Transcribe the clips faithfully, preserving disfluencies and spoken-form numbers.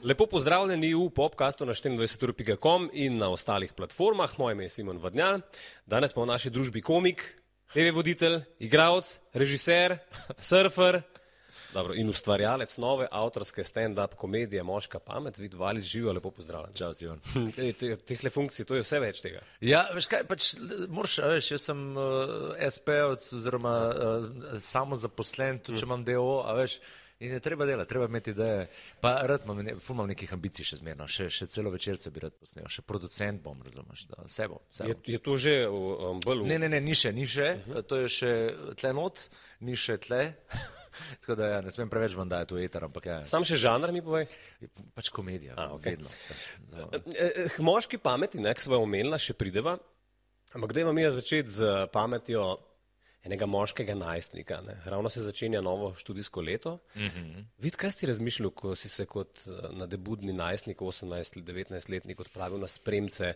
Lepo pozdravljeni v podcastu na štiriindvajset ur pika com in na ostalih platformah. Moje ime je Simon Vadnjal. Danes pa v naši družbi komik, te ve voditelj, igralec, režiser, surfer dobro, in ustvarjalec nove avtorske stand-up komedije Moška pamet. Vid Valič, živijo, lepo pozdravljen. Čau, Simon. Tehle funkcij, to je vse več tega. Ja, veš kaj, pač moraš, veš, jaz sem uh, es pe ovec oziroma uh, samozaposlen, tudi če imam de o o, a veš, in je treba delati, treba imeti ideje. Pa rad imam, ne, ful imam nekih ambicij še zmerno, še, še celo večerce bi rad posnel, še producent bom, razumeš, da vse bom. Vse bom. Je, je to že um, bolj v... Ne, ne, ne, ni še, ni še, uh -huh. To je še tle not, ni še tle. Tako da ja, ne smem preveč vam dajati v eter, ampak ja. Sam še žanr mi povej? Pač komedija, A, okay. vedno. K moški pameti, ne, ki sva omenila, še prideva, ampak dajmo mi začeti z pametjo enega moškega najstnika. Ne. Ravno se začenja novo študijsko leto. Mm-hmm. Vid, kaj si razmišljal, ko si se kot nadebudni najstnik, osemnajst, devetnajstletnik odpravil na spremce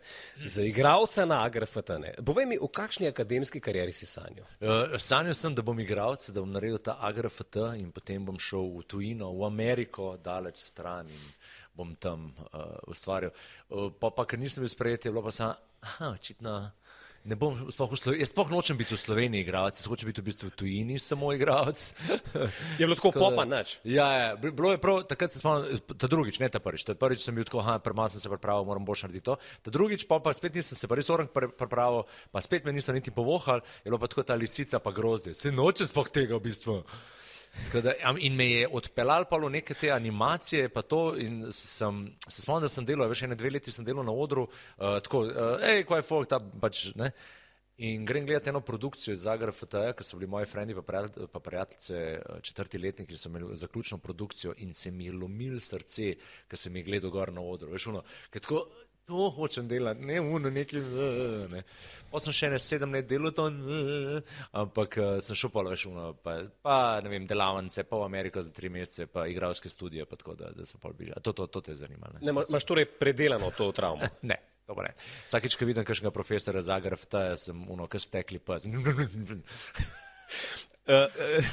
za igralca na A G R F T? Ne. Povej mi, v kakšni akademski karieri si sanjal? Uh, sanjal sem, da bom igralec, da bom naredil ta A G R F T in potem bom šel v tujino, v Ameriko, daleč stran in bom tam uh, ustvarjal. Uh, pa, pa, ker nisem bil sprejet, je bilo pa samo, aha, očitno... Ne bom, sploh v Sloveniji, jaz sploh nočem biti v Sloveniji igralec, jaz hočem biti v bistvu v tujini samo igralec. Je bilo tako popa, nič? Ja, ja, bilo je prav, takrat se spomnim, ta drugič, ne ta prvič, ta prvič sem bil tako, aha, premalo sem se pripravil, moram boljš narediti to. Ta drugič pa, pa spet nisem se pa res orang pripravil, pa spet me niso niti povohali, je bilo pa tako ta lisica pa grozdje, se nočem sploh tega v bistvu. Da, in me je odpeljal pa v neke te animacije pa to in sem, se spomnim, da sem delal, veš, ene dve leti sem delal na odru, uh, tako, uh, ej, kvaj folk, ta pač, ne, in grem gledati eno produkcijo iz A G R F T, ker so bili moji frendi pa, prijatelj, pa prijateljice četrti letniki, ki so imeli zaključno produkcijo in se mi je lomil srce, ker sem jih gledal gor na odru, veš, ono, ker tako, to hočem delati, ne uno neki, ne. Pa sem še ne sedem let delal to, ampak sem šel pa, veš, uno, pa, pa, ne vem, delavnice, pa v Ameriko za tri mesece, pa igralske studije, pa tako, da, da sem pa bližal. To, to, to te zanima, ne? Ne, imaš torej predelano to travmo? Ne, to pa ne. Vsakič, ko vidim kakšnega profesora z A G R F T, sem uno, kar stekli pes. Uh, uh,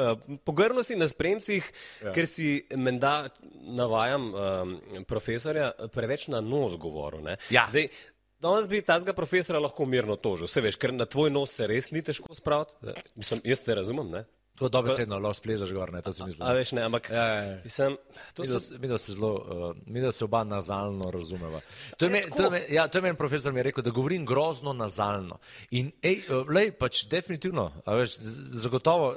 uh, pogrnil si na spremcih, ja. Ker si menda, navajam um, profesorja, preveč na nos govoril. Ne? Ja. Zdaj, danes bi tazga profesora lahko mirno tožil, se veš, ker na tvoj nos se res ni težko spraviti. Mislim, jaz te razumem, ne? To dobesedno, lahko splezaš gor, ne, to si mislim. A veš, ne, ampak ja, ja, ja. Mislim, to mi, so... da, mi, da se zelo, uh, mi da se oba nazalno razumeva. To je, me, to je, me, ja, to je meni profesor mi je rekel, da govorim grozno nazalno. In ej, uh, lej, pač definitivno, a veš, zagotovo,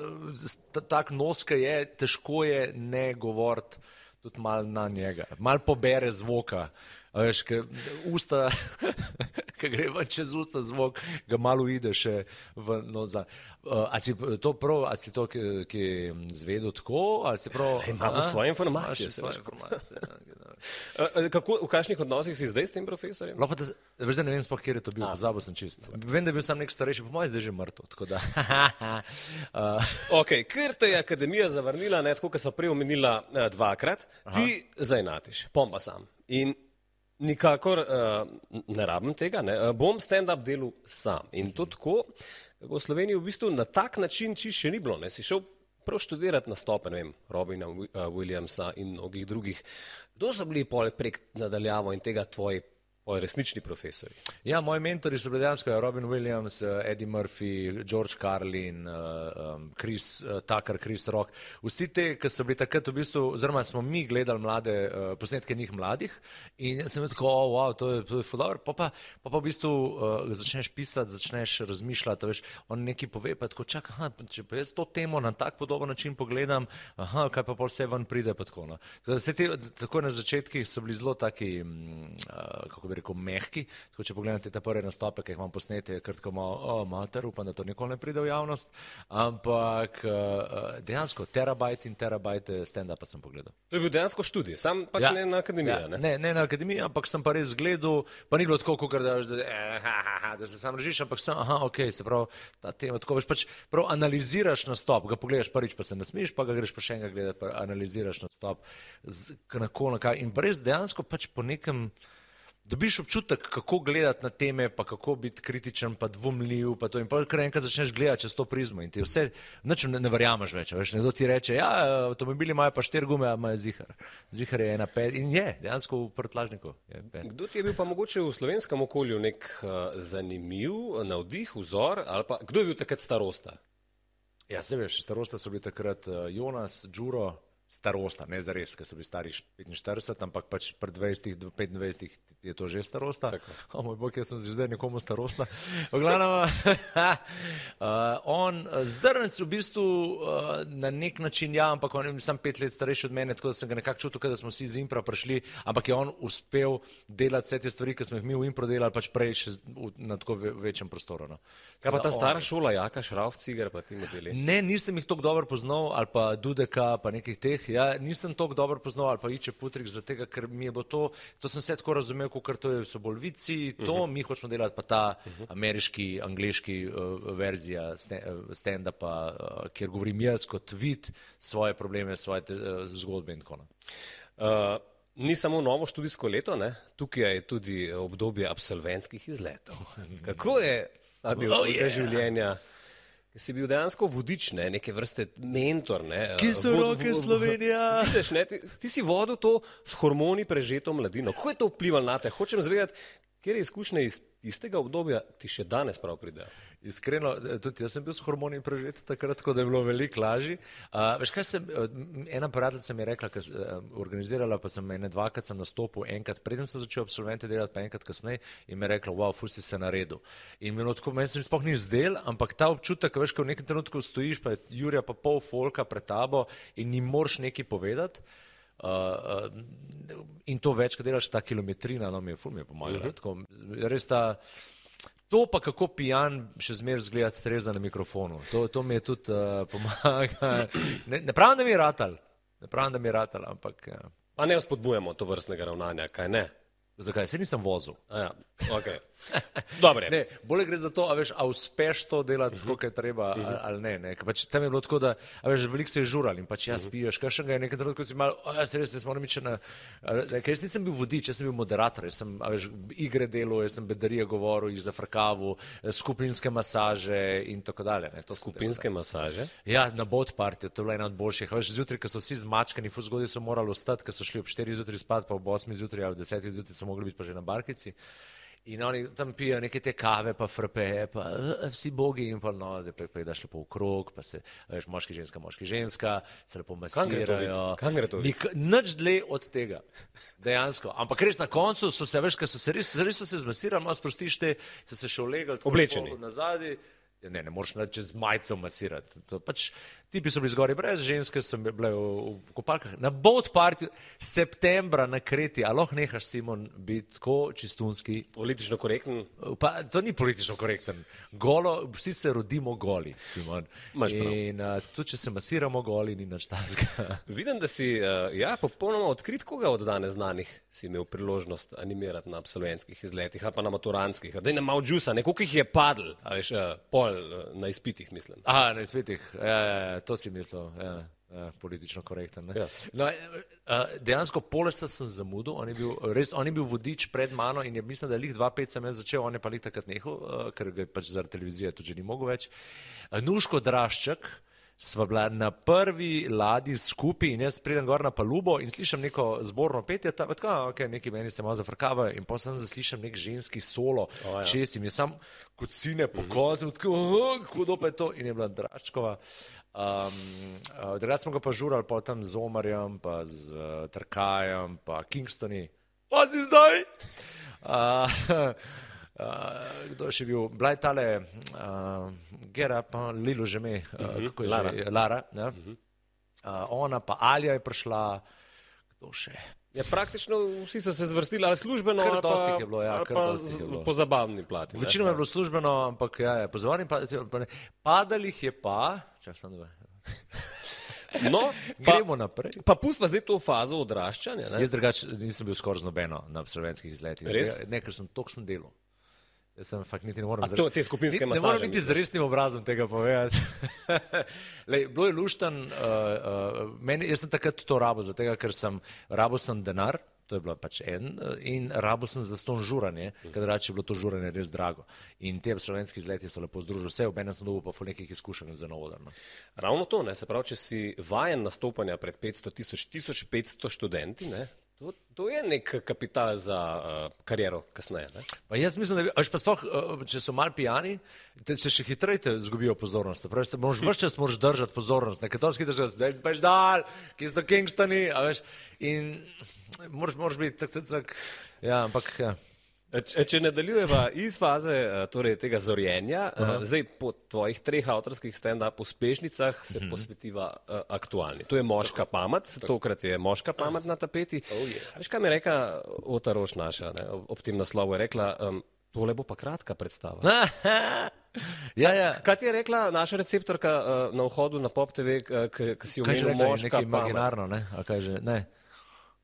tak nos, ki je, težko je ne govoriti tudi malo na njega, malo pobere zvoka. A veš, ker usta, ki gre ven čez usta zvok, ga malo ide še v noza. Uh, a si to prav, a si to, ki, ki zvedel tako, ali si prav... Imamo svoje informacije. Svoje informacije, ja. uh, kako, v kakšnih odnosih si zdaj s tem profesorjem? Lopa, da, veš, da ne vem sploh, kjer je to bil, pozabil sem čist. Vem, da je bil sam nek starejši, po mojem zdaj že mrtev, tako da... uh. Ok, ker te je akademija zavrnila, ne, tako, kot sva prej omenila uh, dvakrat, Aha. Ti zainatiš, pom pa sam. In nikakor uh, ne rabim tega, ne. Uh, bom stand-up delal sam. In to tako, kako v Sloveniji v bistvu na tak način čisto še ni bilo. Ne. Si šel prav študirati nastope, ne vem, Robina Williamsa in mnogih drugih. Kdo so bili pol prek nadaljavo in tega tvoji resnični profesori? Ja, moji mentori so bili dejansko Robin Williams, Eddie Murphy, George Carlin, Chris Tucker, Chris Rock. Vsi te, ki so bili takrat v bistvu, oziroma smo mi gledali mlade posnetke njih mladih in sem tako, oh, wow, to je, to je fudor. Pa pa, pa pa v bistvu uh, začneš pisati, začneš razmišljati, veš, on nekaj pove, pa tako čak, aha, če pa jaz to temo na tak podoben način pogledam, aha, kaj pa pol vse ven pride, pa tako, no. Vse te, tako na začetkih so bili zelo taki, uh, kako bi rekel, mehki. Tako, če pogledate te prve nastope, ki jih imam posnete, je krtko malo, o, mater, upam, da to nikoli ne pride v javnost, ampak uh, dejansko terabajt in terabajt stand-upa sem pogledal. To je bil dejansko študij, sam pač ja. ne na akademiji, ja. ne? Ne, ne na akademiji, ampak sem pa res gledal, pa ni bilo tako, kakor da, da, da, da se sam režiš, ampak sem, aha, ok, se prav, ta tema, tako veš, pač prav analiziraš nastop, ga pogledaš prvič, pa se nasmiš, pa ga greš pa še enega gledati, pa analiziraš nastop, z, na ko, na kaj, in pa res dejansko pač po nekem, dobiš občutek, kako gledati na teme, pa kako biti kritičen, pa dvomljiv, pa to in pa kar enkrat začneš gledati čez to prizmo in ti vse, nič ne, ne verjameš več, veš, nekdo ti reče, ja, avtomobili imajo pa štiri gume, a imajo zihar. Zihar je ena pet in je, dejansko v prtlažniku je pet. Kdo ti je bil pa mogoče v slovenskem okolju nek uh, zanimiv, navdih, vzor, ali pa kdo je bil takrat starosta? Ja, se veš, starosta so bili takrat uh, Jonas, Đuro, starosta, ne zares, ker so bili stari petinštirideset, ampak pač pred dvajsetih do petindvajsetih je to že starosta. O moj bog, jaz sem zdaj nekomu starosta. V glavnem, uh, on, Zrnec v bistvu uh, na nek način, ja, ampak on je sam pet let starejši od mene, tako da sem ga nekako čutil, da smo vsi iz Impra prišli, ampak je on uspel delati vse te stvari, ki smo jih mi v Impro delali, pač prej še v, na tako ve, večjem prostoru. No. Kaj pa ta stara on, šola, Jaka, Šrauf, Cigar, pa ti modeli? Ne, nisem jih toliko dobro poznal, ali pa Dudeka, pa nekih teh. Ja, nisem toliko dobro poznal, ali pa Iče Putrik, zaradi tega, ker mi je bilo to, to sem se tako razumel, kot to je, so bolj vici, to, uh -huh. mi hočemo delati pa ta uh -huh. ameriški, angleški uh, verzija stand-upa, uh, kjer govorim jaz kot vid svoje probleme, svoje te, uh, zgodbe in tako naprej. Uh, ni samo novo študijsko leto, ne? Tukaj je tudi obdobje absolventskih izletov. Kako je ta del oh, yeah. življenja? Si bil dejansko vodič, ne, neke vrste mentor. Ne, Ki so vod, roke vod, Slovenija? Vidiš, ne, ti, ti si vodil to s hormoni prežeto mladino. Kako je to vplivalo na te? Hočem zvedeti, kjer izkušnje iz, iz tega obdobja ti še danes prav pridejo. Iskreno, tudi jaz sem bil s hormoni prežet takrat, tako da je bilo veliko lažje. Uh, veš kaj, sem, ena prijateljica mi je rekla, ker uh, organizirala, pa sem ene dvakrat sem nastopil, enkrat preden sem začel absolvente delati, pa enkrat kasneje in mi je rekla, wow, ful si se naredil. In bilo tako, meni se mi sploh ni zdel, ampak ta občutek, veš, ko v nekem trenutku stojiš, pa je Jurija pa pol folka pred tabo in ni moreš nekaj povedati. Uh, uh, in to več, ko delaš ta kilometrina, no mi je ful mi je pomagala. Uh-huh. Tako, res ta To pa kako pijan še zmer zgledati Tereza na mikrofonu. To, to mi je tudi uh, pomaga. Ne, ne pravim, da mi je ratal. Ne pravim, da mi je ratal, ampak... Ja. Pa ne spodbujamo to vrstnega ravnanja, kaj ne? Zakaj? Se nisem vozil. A ja, okej. Dobre. Ne, bolje gre za to, a veš, a uspeš to delati, uh-huh. koliko je treba, uh-huh. ali, ali ne. ne. Pač tam je bilo tako, da, a veš, veliko se je žural in pač jaz uh-huh. piješ, kaj še ga je nekaj trenutko si malo, a jaz res, jaz moram ići na, ker jaz nisem bil vodič, jaz sem bil moderator, jaz sem, a veš, igre delal, jaz sem bedarije govoril, jih zafrkaval, skupinske masaže in tako dalje. Ne. To skupinske masaže? Ja, na boat party, to je bila ena od boljših. A veš, zjutraj, ko so vsi zmačkani, ful zgodaj so morali ostati, ko so šli ob štirih zjutraj spat, pa ob osmih zjutraj ali ob desetih zjutraj so mogli biti pa že na barkici. In oni tam pijo neke te kave, pa frapeje, pa uh, vsi bogi in pa no, zdaj pa, pa je daš lepo v krog, pa se, veš, moški, ženska, moški, ženska, se lepo masirajo. Kam gre to videti? Nič dlje od tega, dejansko. Ampak res na koncu so se, veš, ker so se res, res so se zmasirali, malo sprostiš te, so se še ulegali. Oblečeni. Nazadi. Ja, ne, ne moreš čez majico masirati. To, pač, tipi so bili zgori brez, ženske so bile v, v kopalkah. Na boat party septembra na Kreti, a lahko nehaš, Simon, biti tako čistunski. Politično korekten? Pa, to ni politično korekten. Golo, vsi se rodimo goli, Simon. In uh, tudi, če se masiramo goli, ni nič takega. Vidim, da si uh, ja, popolnoma odkrit, koga od danes znanih si imel priložnost animirati na absolventskih izletih, ali pa na maturantskih. Daj na malo džusa, nekoliko jih je padl, a veš, uh, pol na izpitih, mislim. Aha, na izpitih, ja, ja, to si mislil, ja, ja, politično korekten. Ne? Ja. No, dejansko polesa sem zamudil, on je bil, res, on je bil vodič pred mano in je, mislim, da je lih dva pet sem jaz začel, on je pa lih takrat nehal, ker ga je pač zaradi televizije tudi že ni mogel več. Nuško Drašček, sva bila na prvi ladji skupaj in jaz pridem gor na palubo in slišam neko zborno petje, tako, ok, neki meni se malo zafrkavajo in potem sem zaslišam nek ženski solo, oh, ja. Čest in je sam kot sine po koncu, tako, oh, kudo pa je to in je bila Draščkova. Um, uh, Drugače smo ga pa žurali pa tam z Omarjem, pa z uh, Trkajem, pa Kingstoni. Pa si zdaj? Uh, Uh, kdo je še bil? Bila je tale uh, Gera, pa Lilo že me, uh, uh-huh. kako je Lara. Že? Lara, ja. uh-huh. uh, ona pa Alja je prišla, kdo še? Ja, praktično vsi so se zvrstili, ali službeno, kar ali pa, je bilo, ja, ali pa z, je bilo. Po zabavni plati. Večino je bilo službeno, ampak ja, je, po zabavni plati, pa ne. Padalih je pa, čak sem dve. No, gremo naprej. Pa pustva zdaj to fazo odraščanja. Ne? Jaz drugač nisem bil skoraj z nobeno na absolventskih izletih. Res? Ne, ker sem toliko sem delal. Jaz sem fakt niti ne morem... A to, te skupinske masaže? Ne moram niti z resnim obrazom tega povedati. Lej, bilo je luštan, uh, uh, meni, jaz sem takrat to rabo, zato ker sem, rabo sem denar, to je bilo pač en, in rabil sem za ston žuranje, ker drugače je bilo to žuranje res drago. In te slovenski izleti so lepo združili vse, obenem sem dobil pa ful nekih izkušenj za novo darno. Ravno to, ne, se pravi, če si vajen nastopanja pred petsto tisoč, tisoč petsto študenti, ne, to, to je nek kapital za uh, kariero kasneje, ne? Pa jaz mislim, da bi, až pa sploh, če so mal pijani, te se še hitreje te zgubijo pozornost. Pravi, se moraš vrš čas moraš držati pozornost, nekaj to skitaš, da veš dal, ki so Kingstoni, a veš, in moraš, moraš biti tak, tak, tak, ja, ampak, ja. Če, če nadaljujeva iz faze torej, tega zorjenja, uh-huh. zdaj po tvojih treh avtorskih stand-up uspešnicah se uh-huh. posvetiva uh, aktualni. To je Moška pamet, tokrat je Moška pamet na tapeti. Oh, yeah. Veš, kaj mi je rekla Ota Roš naša, ne, ob tem naslovu je rekla, um, tole bo pa kratka predstava. ja, ja. Kaj ti je rekla naša receptorka uh, na vhodu na Pop T V, ki si omenil Moška pamet? Nekaj imaginarno, ne? A kaj že, ne?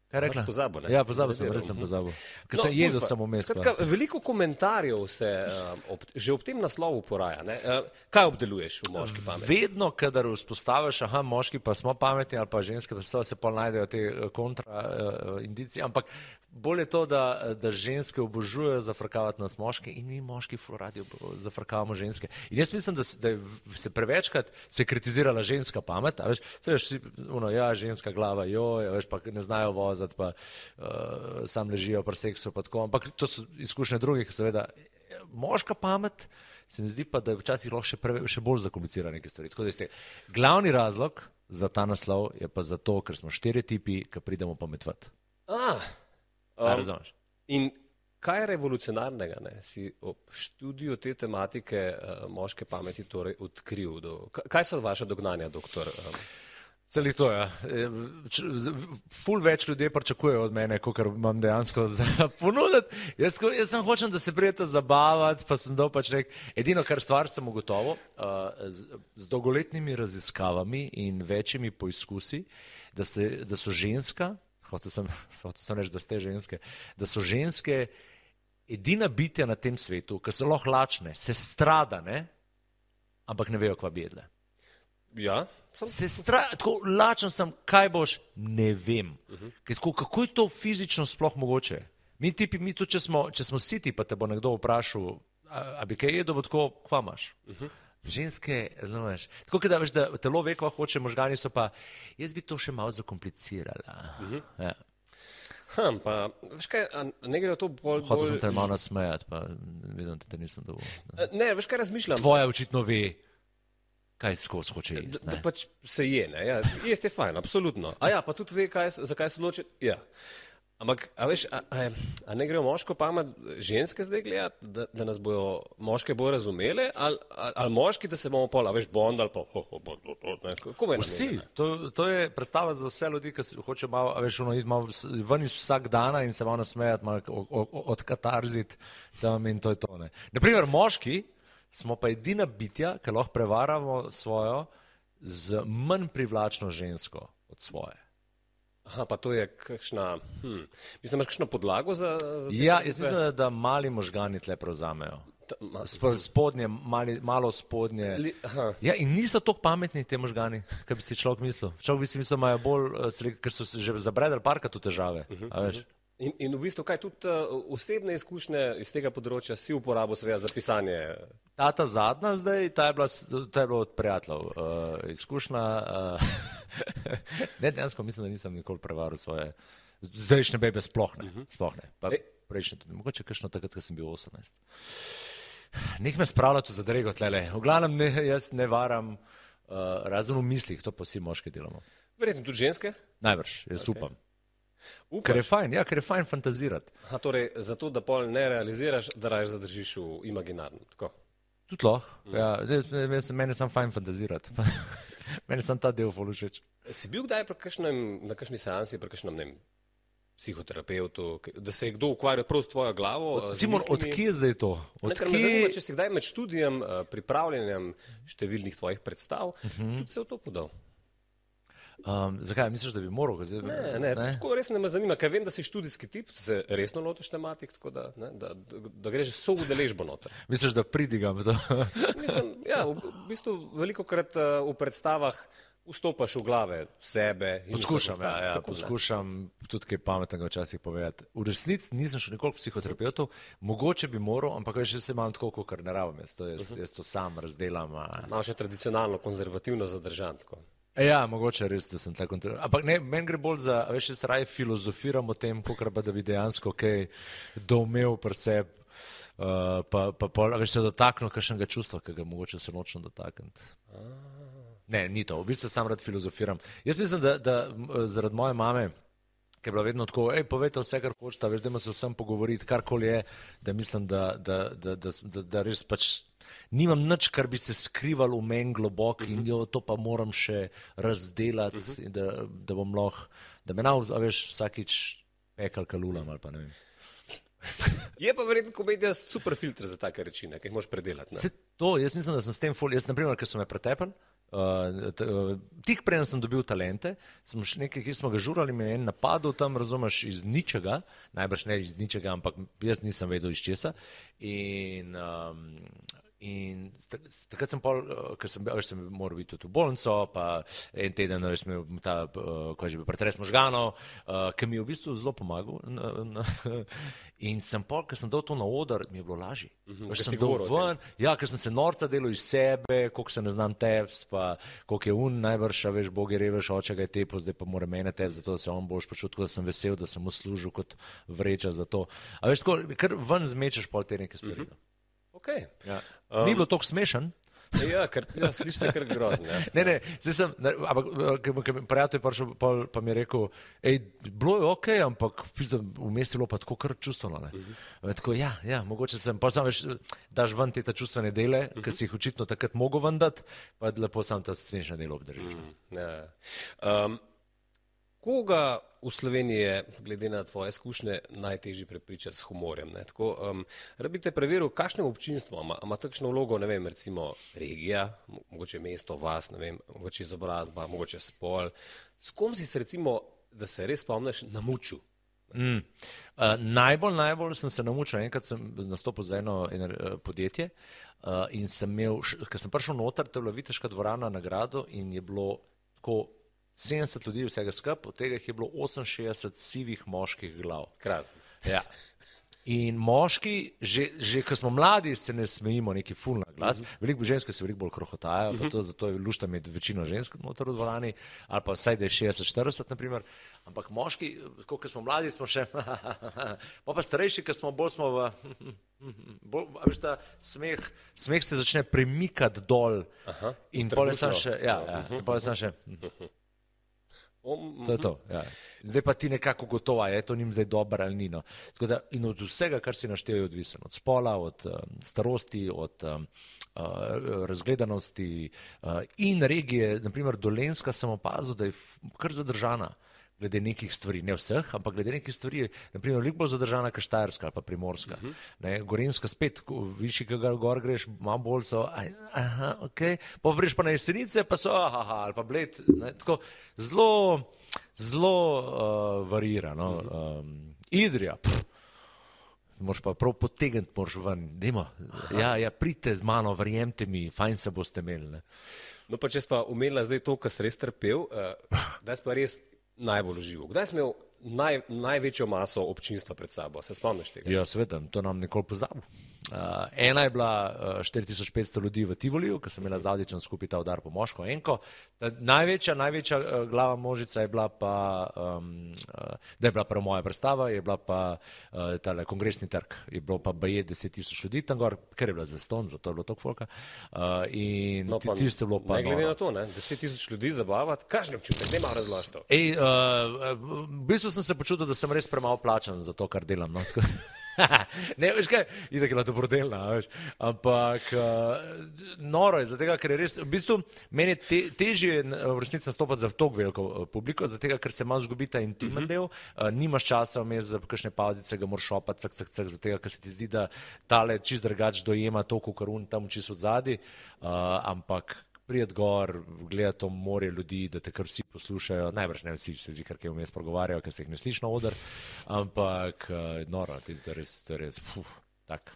Kaj rekla? Pozabil, ne? Ja, pozabil sem, res sem pozabil. Ker no, sem jedel samo mes. Skratka, veliko komentarjev se uh, ob, že ob tem naslovu poraja. Ne? Uh, kaj obdeluješ v Moški pameti? Vedno, kadar vzpostaviš, aha, moški pa smo pametni ali pa ženske, pa se pol najdejo te kontra uh, indicije, ampak bolje je to, da, da ženske obožujejo zafrkavati nas moške in mi moški ful radi zafrkavamo ženske. In jaz mislim, da, da se prevečkrat se kritizirala ženska pamet, a veš, se veš, uno, ja, ženska glava, joj, a veš, pa ne znajo voziti, pa uh, sam ležijo pri seksu, pa tako, ampak to so izkušnje drugih, seveda. Moška pamet se mi zdi pa, da je včasih lahko še, preve, še bolj zakomplicira neke stvari. Tako da ste, glavni razlog za ta naslov je pa zato, ker smo štiri tipi, ki pridemo pametvati. Ah, um, in kaj je revolucionarnega, ne? Si ob študiju te tematike uh, moške pameti torej odkril? Do, kaj so vaše dognanja, doktor? Um, Celi to, ja. Ful več ljudje pričakujejo od mene, kot imam dejansko za ponuditi. Jaz, jaz sem hočem, da se prijete zabavati, pa sem dal pač nek, edino, kar stvar sem ugotovil, uh, z, z dolgoletnimi raziskavami in večjimi poizkusi, da, ste, da so ženska, hotel sem, hotel sem reči, da ste ženske, da so ženske edina bitja na tem svetu, ki so lahko lačne, se stradane, ampak ne vejo, kva bi jedle. Ja. Se stra, tako lačen sem, kaj boš, ne vem. Uh-huh. Tako, kako je to fizično sploh mogoče? Mi tipi, mi tudi, če smo, če smo siti, pa te bo nekdo vprašal, a, a bi kaj jedel, bo tako, kva imaš? Uh-huh. Ženske, razumeš, tako da veš, da telo ve, kva hoče, možgani so pa, jaz bi to še malo zakomplicirala. Uh-huh. Ja. Hm, pa, veš kaj, ne gre to bolj... Hotel bolj... sem te malo nasmejati, pa vidim, da te nisem dovolj. Ne. ne, veš kaj razmišljam? Tvoja očitno ve. Kaj skozi hoče jesti? Da, da pač se je, ne? Ja, jesti je fajn, absolutno. A ja, pa tudi ve, kaj, zakaj se odloči. Ja. Ampak, a veš, a, a, a ne grejo moško pamet ženske zdaj gledati, da, da nas bojo moške bolj razumele, ali, ali moški, da se bomo pol, a veš, bond ali pa, ho, ho, bond, bond, ne? Kako je vsi, to, to je predstava za vse ljudi, ki hoče malo, a veš, ono, iti malo ven iz vsak dana in se malo nasmejati, malo odkatarziti tam in to je to, ne. Naprimer, moški smo pa edina bitja, ki lahko prevaramo svojo z manj privlačno žensko od svoje. Aha, pa to je kakšna, hm, mislim, imaš kakšno podlago za, za te? Ja, jaz mislim, da, da mali možgani tle prevzamejo. Spodnje, mali, malo spodnje. Li, ja, in niso toliko pametni te možgani, kaj bi si človek mislil. Človek bi si mislil, imajo bolj, ker so že zabredali parkrat v težave, uh-huh, a veš. In, in v bistvu, kaj tudi uh, osebne izkušnje iz tega področja si uporabil seveda za pisanje? Ta, ta zadnja zdaj, ta je bila, ta je bila od prijateljev. Uh, izkušnja, uh, ne, dejansko mislim, da nisem nikoli prevaril svoje, zdajšnje bebe sploh ne, uh-huh. sploh ne. Pa prejšnje tudi, mogoče kakšno takrat, ko sem bil osemnajst. Nek me spravlja tu za drego tlele. V glavnem ne, jaz ne varam, uh, razen v mislih, to pa vsi moški delamo. Verjetno tudi ženske? Najbrž, jaz okay. upam. Upaš? Ker je fajn, ja, ker je fajn fantazirati. Aha, torej, zato, da pol ne realiziraš, da raje zadržiš v imaginarno, tako? Tudi lahko, mm. ja, mene sam fajn fantazirati. Mene sam ta del ful všeč. Si bil kdaj kakšnem, na kakšni seansi, pri kakšnem, ne vem, psihoterapeutu, da se je kdo ukvarjal prav s tvojo glavo? Simon, od kje zdaj to? Od ne, ker kje... me zanima, če si kdaj med študijem, pripravljanjem številnih tvojih predstav, uh-huh. tudi se v to podal. Um, zakaj? Misliš, da bi moral? Zdaj, ne, ne, ne, tako res ne me zanima, ker vem, da si študijski tip, se resno lotiš tematik, tako da, ne, da, da, da greš so udeležbo noter. Misliš, da pridigam to? Mislim, ja, v, v bistvu veliko krat uh, v predstavah vstopaš v glave sebe. In poskušam, ja, ja, poskušam tudi kaj pametnega včasih povedati. V resnici nisem šel nikoli k psihoterapeutov, mogoče bi moral, ampak veš, se imam tako, kot ne rabim. Jaz to, jaz, uh -huh. jaz to sam razdelam. Malo še tradicionalno, konzervativno zadržan. Tako. Ja, mogoče res, da sem tako. Ampak ne, meni gre bolj za, veš, jaz raje filozofiram o tem, kakor pa da bi dejansko kaj doumel pri sebi. Uh, pa, pa, pa veš, se dotaknil kakšnega čustva, ki ga mogoče se nočno dotakniti. Ne, ni to, v bistvu sam rad filozofiram. Jaz mislim, da, da zaradi moje mame, ki je bila vedno tako, ej, povejte vse, kar hočete, veš, dajmo se vsem pogovoriti, karkoli je, da mislim, da, da, da, da, da, da res pač nimam nič, kar bi se skrivalo v meni globoko in jo, to pa moram še razdelati, uh -huh. in da, da bom lahko, da me nav, veš, vsakič pekal kalulam ali pa ne vem. Je pa verjetno komedija super filter za take reči, ki jih moš predelati. Se to, jaz mislim, da sem s tem fol, jaz naprimer, ker so me pretepali, uh, uh, tik preden sem dobil talente, smo še nekaj, ki smo ga žurali, me je en napadel tam, razumeš, iz ničega, najbrž ne iz ničega, ampak jaz nisem vedel iz česa in um, in takrat sem pol, ker sem, veš, sem moral biti tudi v bolnico, pa en teden, veš, imel ta, ko je že bil pretres možganov, ki mi je v bistvu zelo pomagal. In sem pol, ker sem dal to na oder, mi je bilo lažje. Uh-huh, ker sem dal ven, ja, ker sem se norca delal iz sebe, koliko se ne znam tepst, pa koliko je un najbrž, veš, Bog je reveš, oče ga je tepil, zdaj pa mora mene tepst, zato da se on boš počutil, tako da sem vesel, da sem mu služil kot vreča za to. A veš, tako, ker ven zmečeš pol te neke stvari. Uh-huh. Okay. Ja. Um, Ni bilo toliko smešen. Ja, ker ja, sliši se kar grozno. Ja. Ne, ne, zdaj sem, ne, ampak prijatelj prišel, pa, pa mi je rekel, ej, bilo je ok, ampak vmes je bilo pa tako kar čustveno. Ne. Uh-huh. Tako, ja, ja, mogoče sem, pa sam veš, daš ven te ta čustvene dele, uh-huh. ki si jih očitno takrat mogel ven dati, pa lepo sam ta smešne delo obdržiš. Uh-huh. Ja. Um, koga v Sloveniji je, glede na tvoje izkušnje, najtežje prepričati s humorjem? Ne? Tako, um, rabi te preveril, kakšnem občinstvu ima, ima takšno vlogo, ne vem, recimo regija, mogoče mesto, vas, ne vem, mogoče izobrazba, mogoče spol. S kom si se recimo, da se res spomniš, namučil? Mm. Uh, najbolj, najbolj sem se namučil, enkrat sem nastopil za eno, eno uh, podjetje uh, in sem imel, ker sem prišel noter, to je bila Viteška dvorana na gradu in je bilo tako sedemdeset ljudi vsega skupaj, od tega je bilo oseminšestdeset sivih moških glav. Krasno. Ja. In moški, že, že ko smo mladi, se ne smejimo neki ful na glas. Uh-huh. Veliko ženske se veliko bolj krohotajo, uh-huh. pa to, zato je lušta imeti večino žensk noter v dvorani, ali pa vsaj da je šestdeset štirideset, naprimer. Ampak moški, ko smo mladi, smo še, pa pa starejši, ko smo bolj smo v, bolj, veš, ta smeh, smeh se začne premikati dol. Aha, in pol je sam še, ja, ja, in pol je sam še, to je to, ja. Zdaj pa ti nekako gotova, je to njim zdaj dobro ali ni. No. Tako da, in od vsega, kar si naštel, je odvisen. Od spola, od um, starosti, od um, uh, razgledanosti uh, in regije. Naprimer, Dolenjska sem opazil, da je kar zadržana glede nekih stvari, ne vseh, ampak glede nekih stvari, naprimer, veliko bolj zadržana kot Štajerska ali pa Primorska. Uh-huh. Ne, Gorenjska spet, višji, ki ga gor greš, malo bolj so, aha, ok, pa greš pa na Jesenice, pa so, aha, ali pa Bled, ne, tako zelo, zelo uh, varira, no. Uh-huh. um, Idrija, pff, moraš pa prav potegniti, moraš ven, dajmo, ja, ja, pridite z mano, verjemte mi, fajn se boste imeli, ne. No pa če sva umela zdaj to, kar si res trpel, uh, da si pa res najbolj užival. Kdaj si imel naj, največjo maso občinstva pred sabo? Se spomniš tega? Ja, seveda, to nam nikoli pozabil. Uh, ena je bila uh, štiri tisoč petsto ljudi v Tivoliju, ker sem imela z Avdićem skupaj ta udar po moško enko. Ta največja, največja uh, glava možica je bila pa, um, uh, da je bila prva moja predstava, je bila pa uh, tale kongresni trg. Je bilo pa baje deset tisoč ljudi tam gor, ker je bila zaston, zato je bilo toliko folka. Uh, in no, pa, tisto je bilo pa... Ne glede na to, ne? deset tisoč ljudi zabavati, kakšen občutek, ne malo razloži to. Ej, uh, v bistvu sem se počutil, da sem res premalo plačan za to, kar delam. No? Ne, veš kaj, itak je bila dobrodelna, veš, ampak uh, noro je, zatega, ker je res, v bistvu, meni je te, težje v resnici nastopati za toliko veliko publiko, zatega, ker se malo zgubi ta intimen del, uh, nimaš časa vmes za kakšne pauzice, ga moraš šopati, cak, cak, cak, zatega, ker se ti zdi, da tale čist drugač dojema to, kakor un tam čist od zadi, uh, ampak prijet gor, gledati to morje ljudi, da te kar vsi poslušajo, najbrž ne vsi se zdi, kar kaj vmes pogovarjajo, ker se jih ne sliši na oder, ampak uh, noro, to je res, to je res, fuf, tak.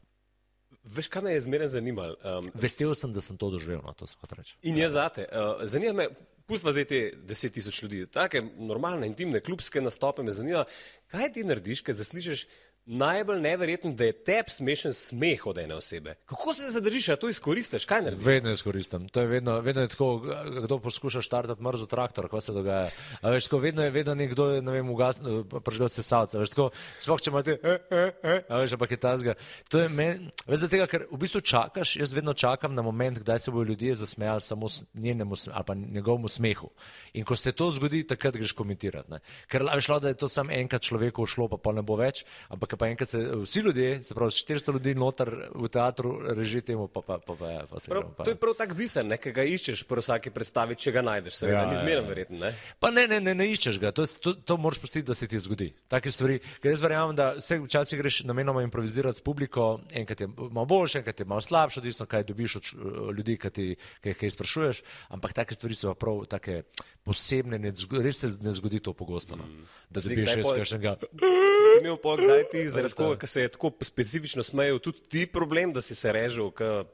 Veš, kaj me je zmeraj zanimalo? Um, Vesel sem, da sem to doživel, no, to se hoče reči. In je zate. Uh, zanima me, pustva zdaj te deset tisoč ljudi, take normalne, intimne, klubske nastope me zanima, kaj ti narediš, kaj zaslišiš najbolj neverjetno, da je tep smešen smeh od ene osebe. Kako se zadržiš, a to izkoristiš? Kaj narediš? Vedno izkoristim. To je vedno, vedno je tako, kdo poskuša štartati mrzo traktor, kaj se dogaja. A veš, tako, vedno je vedno nekdo, ne vem, ugasnil, prižgal se savca. Veš, tako, sploh če imate, eh, eh, eh, a veš, ampak je tazga. To je meni, veš, tega, ker v bistvu čakaš, jaz vedno čakam na moment, kdaj se bodo ljudje zasmejali samo njenemu ali pa njegovemu smehu. In ko se to zgodi, takrat greš komentirati. Ne. Ker veš, da je to samo enkrat človeku šlo, pa pa ne bo več, ampak pa enkrat se vsi ljudje, se pravi štiristo ljudi noter v teatru reži temu, pa, pa, pa, pa, pa se prav, pa. To je prav tak biser, ne, ki ga iščeš pri vsaki predstavi, če ga najdeš, seveda, Ja, ni ja, zmeren ja. verjetno, ne? Pa ne, ne, ne, ne iščeš ga, to, to, to moraš pustiti, da se ti zgodi. Take stvari, ker jaz verjamem, da vse včasih greš namenoma improvizirati s publiko, enkrat je malo boljše, enkrat je malo slabše, odvisno kaj dobiš od ljudi, ki ti kaj, kaj sprašuješ, ampak take stvari so prav take posebne, ne, res se ne zgodi to pogosto, no, da dobiš res kakšnega. Si imel pol, kdaj ti zaradi koga, ki se je tako specifično smejal, tudi ti problem, da si se režil?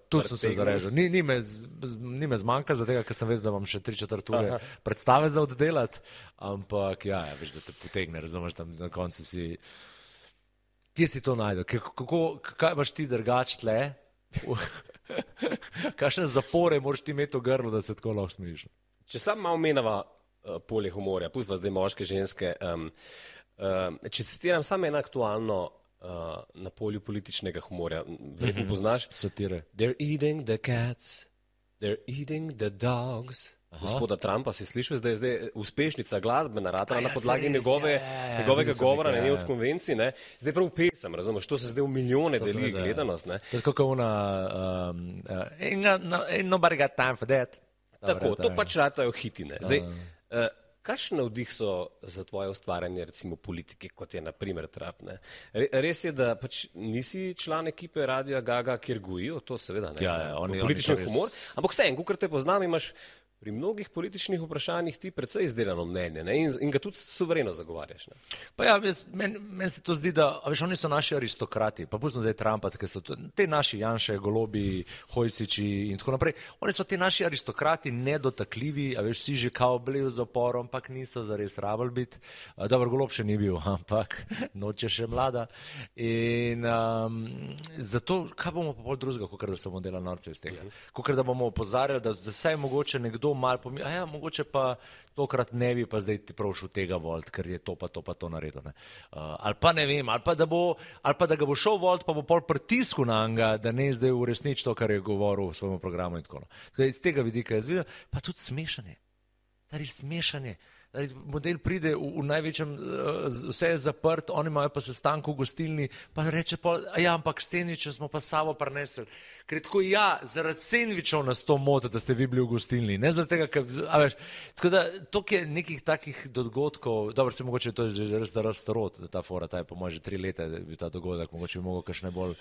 Tudi sem se zarežil. Ni, ni, me, ni me zmanjkalo, zato ker sem vedel, da imam še tri četrt ure Aha. predstave za oddelati, ampak ja, ja, veš, da te potegne, razumeš, tam na koncu si, kje si to najdel, kako, kaj imaš ti drugač tle, kakšne zapore moraš ti imeti v grlu, da se tako lahko smejiš. Če sam malo menava uh, polje humorja, pustva zdaj moške, ženske, um, um, če citiram samo eno aktualno uh, na polju političnega humorja, verjetno Mhm. poznaš? Satire. They're eating the cats, they're eating the dogs. Aha. Gospoda Trumpa si slišal, da je zdaj uspešnica glasbena ratala A ja, na podlagi se res, njegove, ja, ja, ja, njegovega videl sem govora nekaj, na njej ja, od ja. konvencij, ne? Zdaj prav pesem, razumeš, to se zdaj v milijone To se deli ne da, ja. gledanost, ne? To je tako kot ona, um, uh, ain't, got no, ain't nobody got time for that. Tako, Dobre, to je. pač ratajo hitine. Zdaj, uh, kakšen navdih so za tvoje ustvarjanje, recimo politike, kot je naprimer Trump, ne? Re, res je, da pač nisi član ekipe Radia Gaga, kjer gojijo, to seveda ne, Ja, ja, oni- politični oni so res- humor, ampak vse, kot te poznam, imaš pri mnogih političnih vprašanjih ti precej izdelano mnenje, ne? In, in ga tudi suvereno zagovarjaš. Ne? Pa ja, jaz- meni men se to zdi, da a veš, oni so naši aristokrati, pa pustimo zdaj Trumpa, ker so to, te naši Janše, Golobi, Hojsiči in tako naprej. Oni so ti naši aristokrati nedotakljivi, a veš, vsi že kao bili v zaporu, ampak niso zares rabili biti. A, Dobro, Golob še ni bil, ampak noč je še mlada. In um, zato, kaj bomo pa pol drugega, kot da se bomo delali norce iz tega. Kot da bomo opozarjali, da zdaj je mogoče nekdo malo pomisli, a ja, mogoče pa tokrat ne bi pa zdaj ti prošel tega volt, ker je to pa to pa to naredil. Ne. Uh, ali pa ne vem, ali pa, da bo, ali pa da ga bo šel volt, pa bo pol pritisku na njega, da ne zdaj uresniči to, kar je govoril v svojem programu in tako. Tako iz tega vidika jaz vidim, pa tudi smešanje. Tari smešanje. Model pride v, v največjem, vse je zaprt, oni imajo pa sestanek v gostilni, pa reče pa, ja, ampak sendviče smo pa s sabo prinesli. Ker je tako, ja, zaradi sendvičev nas to moti, da ste vi bili v gostilni, ne zaradi tega, ker, a veš, tako da, toliko je nekih takih dogodkov, dobro, se mogoče to je že res da starot, ta fora, ta je po moje že tri leta, je bil ta dogodek, mogoče bi mogel kakšne bolj,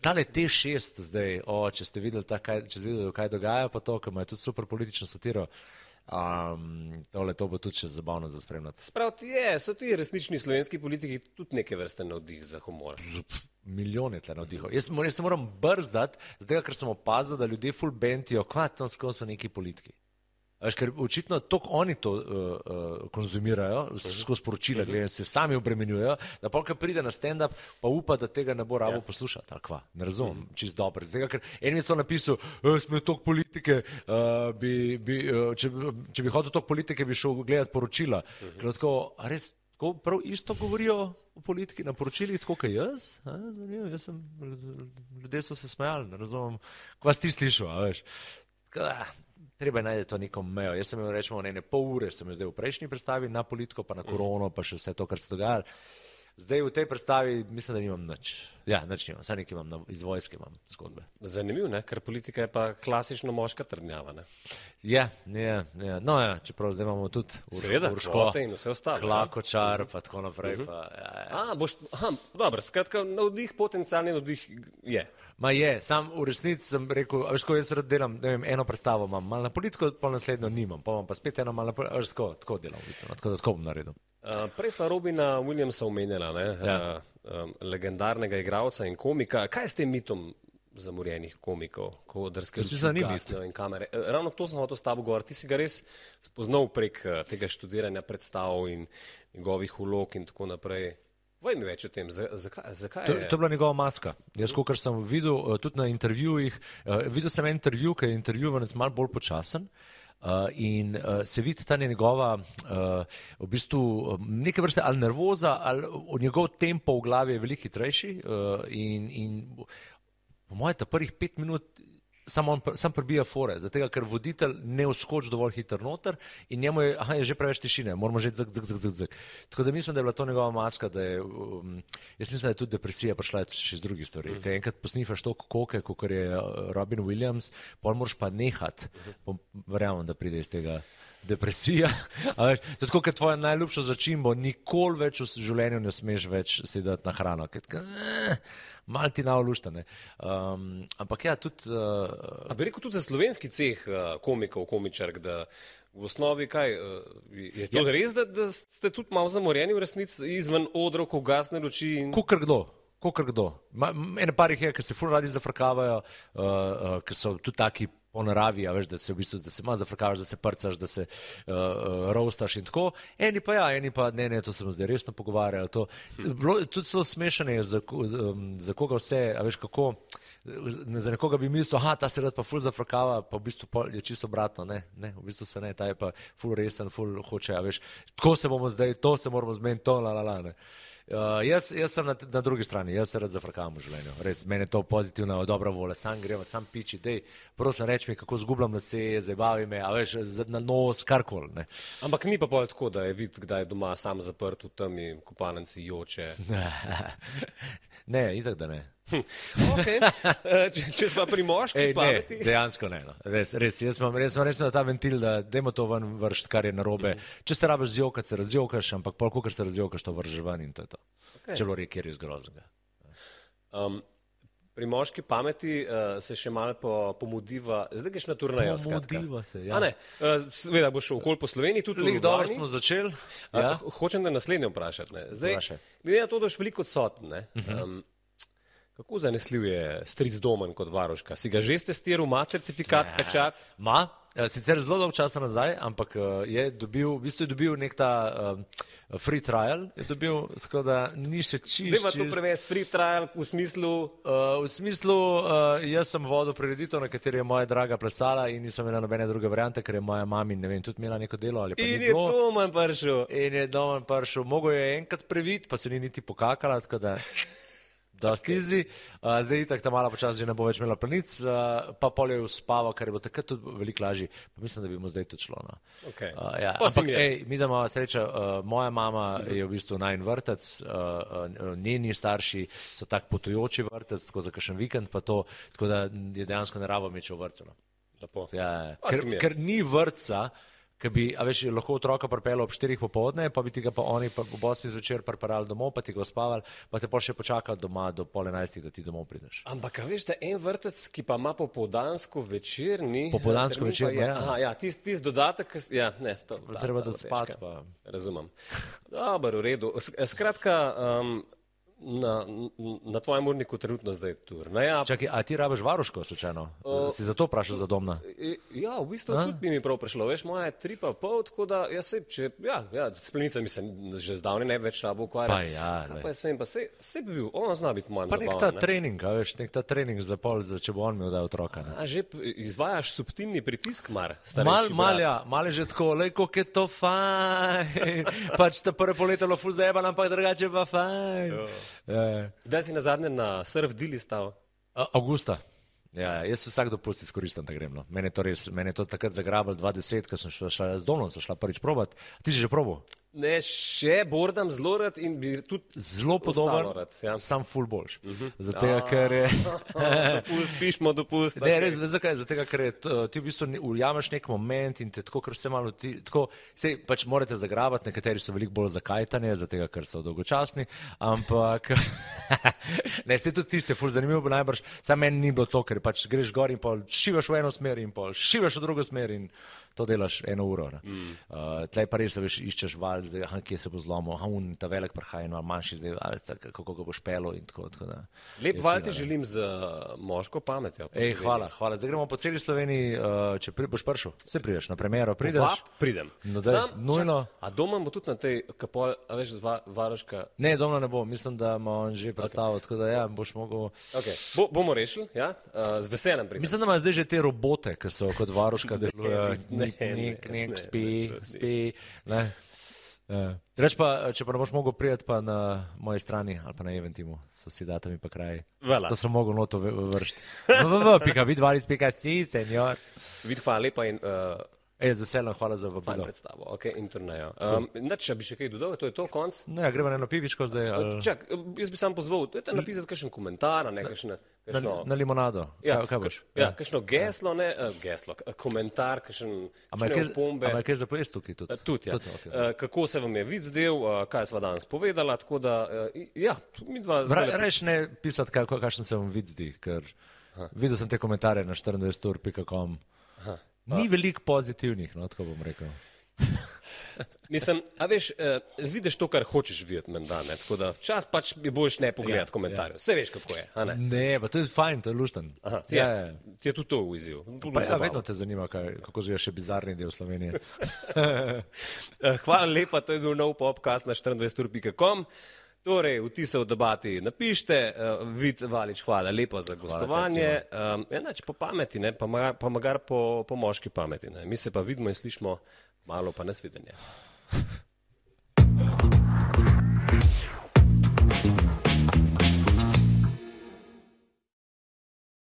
tale T šest zdaj, o, če ste videli, ta, kaj, če ste videli, kaj dogaja, pa to, ker ima je tudi super politično satiro. Um, tole, to bo tudi še zabavno za spremljati. Sprav ti je, so ti resnični slovenski politiki tudi neke vrste navdih za humor. Milijon je tle navdihov. Jaz, jaz se moram brzdati, zdaj, ker sem opazil, da ljudje full bentijo, kva, tam skozi so neki politiki. Veš, ker očitno toliko oni to uh, uh, konzumirajo, skozi poročila gledajo, se sami obremenjujejo, da polka pride na stand-up, pa upa, da tega ne bo rabo Ja. poslušati. Ali kva, ne razumem, čist dobro. Zdaj, ker en mi je to napisal, smo toliko politike, uh, bi, bi, uh, če, če bi hodil toliko politike, bi šel gledati poročila. Ker tako, a res, tako prav isto govorijo o politiki na poročilih, tako kot jaz? A, zanimivo, jaz sem, ljudje so se smejali, ne razumem, kva si ti slišal, a veš. Tako da, treba je najti to neko mejo. Jaz sem imel rečemo ene pol ure, sem jo zdaj v prejšnji predstavi na politiko, pa na korono, pa še vse to, kar se dogaja. Zdaj v tej predstavi mislim, da nimam nič. Ja, nič nimam, saj nekaj imam, na, iz vojske imam zgodbe. Zanimiv, ne? Ker politika je pa klasično moška trdnjava. Ne? Ja, ja, ja. No ja, čeprav zdaj imamo tudi Seveda, Urško, kvote in vse ostalo. Klakočar, pa tako naprej. Pa, ja, ja. A, boš, aha, dobro, skratka, navdih, potencialni navdih je. Ma je, sam v resnici sem rekel, a veš, ko jaz rad delam, ne vem, eno predstavo imam, malo na politiko, pa naslednjo nimam, pa imam pa spet eno malo na politiko, a veš, tako, tako delam, v bistvu, no, tako da tako bom naredil. Uh, prej sva Robina Williamsa omenjala, ne? Ja. uh, um, legendarnega igralca in komika. Kaj je s tem mitom zamorjenih komikov, ko drske luči gasnejo in kamere. Ravno to sem hotel s tabo govoriti. Ti si ga res spoznal prek tega študiranja predstav in njegovih vlog in tako naprej. Vaj mi več o tem, zakaj, zakaj to, je? To je bila njegova maska. Jaz, kot sem videl tudi na intervjujih, videl sem en intervju, ki je intervjuvanec malo bolj počasen. Uh, in uh, se vidi ta njegova uh, v bistvu neke vrste ali nervoza ali njegov tempo v glavi je veliko hitrejši uh, in, in po mojem ta prvih pet minut samo on sam prebija fore, zato ker voditelj ne vskoči dovolj hitro noter in njemu je, aha, je že preveč tišine, moramo že zak, zak, zak, zak, zak. Tako da mislim, da je bila to njegova maska, da je, um, jaz mislim, da je tudi depresija prišla še z drugih stvari. Mm. Ker enkrat posnifaš toliko koke, kot je Robin Williams, pol moraš pa nehat, mm. verjamem, da pride iz tega depresija. Veš, to je tako, kot tvoja najljubša začimbo, nikoli več v življenju ne smeš več sedeti na hrano. Ker, malo ti navluštane. Um, ampak ja, tudi... Uh, A bi rekel tudi za slovenski ceh uh, komikov, komičark, da v osnovi kaj, uh, je to ja. res, da, da ste tudi malo zamorjeni v resnici izven odrov, ko gasne luči? In... Kukor kdo. Kokor kdo. Ma, ene par jih je, ki se ful radi zafrkavajo, uh, uh, ki so tudi taki po naravi, a veš, da se v bistvu, da se malo zafrkavaš, da se prcaš, da se uh, uh, roastaš in tako. Eni pa ja, eni pa ne, ne, to se bomo zdaj resno pogovarjali. To, tudi so smešane, za, um, za koga vse, a veš kako, za nekoga bi mislil, aha, ta se rad pa ful zafrkava, pa v bistvu je čisto obratno, ne, ne, v bistvu se ne, ta je pa ful resen, ful hoče, a veš, tako se bomo zdaj, to se moramo zmeniti, to, la, la, la, ne. Uh, jaz, jaz sem na, na drugi strani, jaz se rad zafrkavam v življenju, res, meni je to pozitivna, dobra volja, sam greva, sam piči, dej, prosim, reč mi, kako zgubljam lase, zabavi me, a veš, na nos, karkoli, ne. Ampak ni pa pol tako, da je vid, kdaj je doma sam zaprt v temi kopalnici joče. Ne, itak da ne. Hm. Okay. Če, če smo pri moški Ej, pameti. Ne, dejansko ne, no. res, res, jaz imam res, res ta ventil, da dajmo to ven vršt, kar je narobe. Mm. Če se rabiš zjokati, se razjokaš, ampak pol, kolikor se razjokaš, to vržeš ven in to je to. Okay. Čelo rek je res groznega. Um, pri moški pameti uh, se še malo po, pomudiva, zdaj greš na turnejo. Pomudiva se, ja. A ne, uh, seveda boš šel okoli po Sloveniji, tudi v Ljubljani. Dobro smo začeli. Ja. Uh, hočem da naslednje vprašati. Ne. Zdaj, glede na to, da boš veliko odsoten, ne. Uh -huh. um, kako zanesljiv je stric Domen kot varuška? Si ga že testiral, ima certifikat, ja. pečat? Ma, sicer zelo dolgo časa nazaj, ampak je dobil, v bistvu je dobil nek ta uh, free trial, je dobil, tako da ni še čist. Dajmo to prevesti, free trial v smislu? Uh, v smislu, uh, jaz sem vodil prireditev, na kateri je moja draga plesala in nisem imela nobene druge variante, ker je moja mami, ne vem, tudi imela neko delo ali pa in ni bilo. In je Domen prišel. In je Domen prišel. Mogo je enkrat previt, pa se ni niti pokakala, tako da... Dosti izi, uh, zdaj itak ta mala počas že ne bo več imela planic, uh, pa pol je uspava, kar je bo takrat tudi veliko lažji, pa mislim, da bi mu zdaj to šlo. No. Okay. Uh, ja. Ampak, ej, mi da imamo sreča, uh, moja mama uh-huh. je v bistvu najin vrtec, uh, uh, njeni starši so tak potujoči vrtec, tako za kakšen vikend pa to, tako da je dejansko ne rabo meče v vrtce. No. Lepo. Ja, ker, ker ni vrtca, ki bi, a veš, lahko otroka pripeljal ob štirih popoldne, pa bi ti ga pa oni pa ob osmih zvečer pripeljali domov, pa ti ga uspavali, pa te pol še počakali doma do pol enajstih, da ti domov prideš. Ampak, a veš, da en vrtec, ki pa ima popoldansko večerni... Popoldansko večerni, ja. Aha, ja, tist, tist dodatek, ja, ne, to... Da, treba da spat, pa... Razumem. Dobar, v redu. Skratka, um, Na, na tvojem urniku trenutno zdaj turneja. Čakaj, a ti rabiš varuško, slučajno? Uh, si zato vprašal za Domna? Ja, v bistvu a? Tudi bi mi prav prišlo. Veš, moja je tri pa pol, tako da, ja, se, če, ja, ja, s plenicami se že zdavni ne več rabo ukvarja. Pa ja, kaj pa jaz vem, pa se, se bi bil, ona zna biti mojem zabavam. Pa nek ta ne? trening, a veš, nek ta trening za pol, za če bo on imel da otroka. Ne? A že izvajaš subtilni pritisk, mar, Mal, mal, ja, mal je že tako, lej, koliko je to fajn. Pač ta prve poletelo ful zajeban, ampak drugače pa fajn. Kdaj si na zadnje na surf dili stal? Augusta. Ja, jaz vsak dopust izkoristim, da grem. No. Mene je to res, mene je to takrat zagrabilo dva deset, ko sem šla, šla z Domnom, sem šla prvič probat. Ti si že probal? Ne, še bordam zelo rad in bi tudi zelo podoben, ja. Sam ful boljš. Uh-huh. Zato, ker je... dopust, pišmo dopust. Ne, okay. Res, zakaj? Zato, ker je, ti v bistvu ujameš nek moment in te tako, ker vse malo ti, tako, sej, pač morate zagrabati, nekateri so veliko bolj zakajtani, zato, ker so dolgočasni, ampak, ne, se tudi tiste, ful zanimivo bo najbrž, sam meni ni bilo to, ker pač greš gor in pol šivaš v eno smer in pol šivaš v drugo smer in to delaš eno uro. Mm. Uh, tlej pa res, veš, iščeš val, zdaj, aha, kje se bo zlomil, aha, un, ta velik prhaj in manjši, zdaj, a, kako ga boš pelo in tako. tako da, Lep val ti želim z moško pametjo. Ej, hvala, hvala. Zdaj gremo po celi Sloveniji, uh, če pri, boš prišel, se prideš na premiero, prideš. Vap, pridem. No, daj, Sam, nujno. Čak, a doma bo tudi na tej, kapol, a veš, dva, varoška. Ne, doma ne bo, mislim, da ima on že predstavil, okay. Tako da ja, boš mogel. Okay. Bo, bomo rešili, ja, uh, z veseljem pridem. Mislim, da ima zdaj že te robote, ki so kot varuška delujejo, nek, nek, nek, spi, spi, ne. Uh, reč pa, če pa ne boš mogel prijeti pa na moji strani ali pa na Eventimu, so vsi datami pa kraji. Voilà. To sem mogel noto vršiti. www pika vidvalic pika si, senjor. Vid, hvala lepa in... Uh, Ej, z veseljem, hvala za vabilo. Fajn predstavo, ok, in turnejo. Um, če bi še kaj dodal, to je to, konc? No ja, gremo na eno pivičko zdaj. Ali... Čak, jaz bi sam pozval, dajte napisati kakšen komentar, ne, kakšne, kakšno... Na, na limonado, ja, kaj, kaj boš? Ja, ja, kakšno geslo, ne, uh, geslo, komentar, kakšen, kakšne opombe. Ama je kaj za pojest tukaj tudi? Uh, tudi, ja. Tud, okay. uh, kako se vam je vid zdel, uh, kaj sva danes povedala, tako da, uh, ja, mi dva... Ra, reš ne pisati, kaj, kakšen se vam vid zdi, ker ha. Videl sem te komentarje na štiriindvajset ur pika com. Ni veliko pozitivnih, no, tako bom rekel. Mislim, a veš, uh, vidiš to, kar hočeš videti, menda, ne, tako da čas pač bi boljš ne pogledati ja, komentarjev. Vse ja. Veš, kako je, a ne? Ne, pa to je fajn, to je lušten. Aha, ti, ja, je, ti je tudi to v izziv. Pa ja, vedno te zanima, kaj, kako živijo še bizarni del Slovenije. Hvala lepa, to je bil nov podcast na štiriindvajset ur pika com. Torej, vtise v debati napište, uh, Vid Valič, hvala lepa za gostovanje. Um, enač po pameti, ne, pa, magar, pa magar po, po moški pameti. Ne. Mi se pa vidimo in slišimo malo pa nasvidenje.